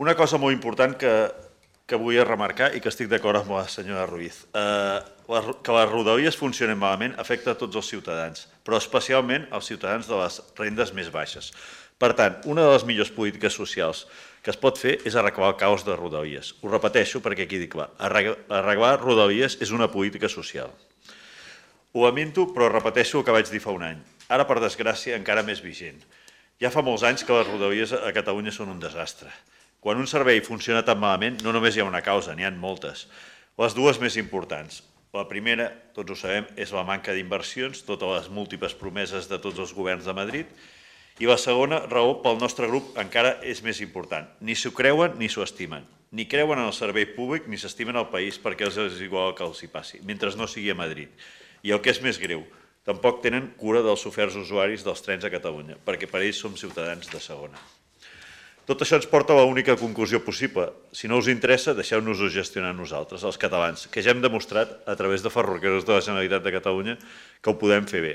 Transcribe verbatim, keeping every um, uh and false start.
Una cosa molt important que, que vull remarcar i que estic d'acord amb la senyora Ruiz. Eh, que les rodalies funcionin malament afecta a tots els ciutadans, però especialment als ciutadans de les rendes més baixes. Per tant, una de les millors polítiques socials que es pot fer és arreglar el caos de rodalies. Ho repeteixo perquè quedi clar. Arreglar rodalies és una política social. Ho lamento, però repeteixo el que vaig dir fa un any. Ara, per desgràcia, encara més vigent. Ja fa molts anys que les rodalies a Catalunya són un desastre. Quan un servei funciona tan malament, no només hi ha una causa, n'hi ha moltes. Les dues més importants. La primera, tots ho sabem, és la manca d'inversions, totes les múltiples promeses de tots els governs de Madrid. I la segona raó, pel nostre grup, encara és més important. Ni s'ho creuen ni s'ho estimen. Ni creuen en el servei públic ni s'estimen el país perquè els és igual que els hi passi, mentre no sigui a Madrid. I el que és més greu, tampoc tenen cura dels oferts usuaris dels trens a Catalunya, perquè per ells som ciutadans de segona. Tot això ens porta a l'única conclusió possible. Si no us interessa, deixeu-nos-ho gestionar nosaltres, els catalans, que ja hem demostrat, a través de Ferrocarrils de la Generalitat de Catalunya, que ho podem fer bé.